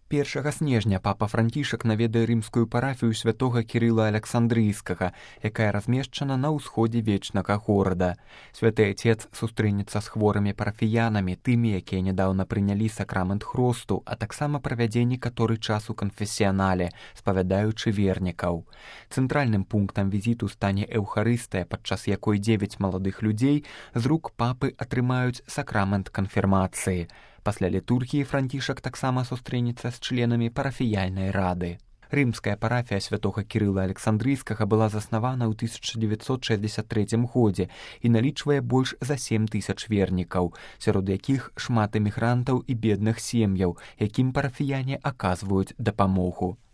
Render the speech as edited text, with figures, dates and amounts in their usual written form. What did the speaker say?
1 снежня папа Францішак наведае рымскую парафію святога Кірыла Александрыйскага, якая размешчана на ўсходзе вечнага горада. Святы Отец сустрэнецца з хворымі парафіянамі, тымі, якія нядаўна прынялі сакрамент хросту, а таксама правядзе некаторы час у канфесіянале, спавядаючы вернікаў. Цэнтральным пунктам візіту стане эўхарыстыя, падчас якой 9 маладых людзей з рук папы атрымаюць сакрамент канфірмацыі. Пасля літургіі Францішак таксама сустрэнецца з членамі парафіяльнай рады. Рымская парафія святога Кірыла Александрыйскага была заснавана ў 1963 годзе і налічвае больш за 7 тысяч вернікаў, сярод якіх шмат эмігрантаў і бедных сем'яў, якім парафіяне аказваюць дапамогу.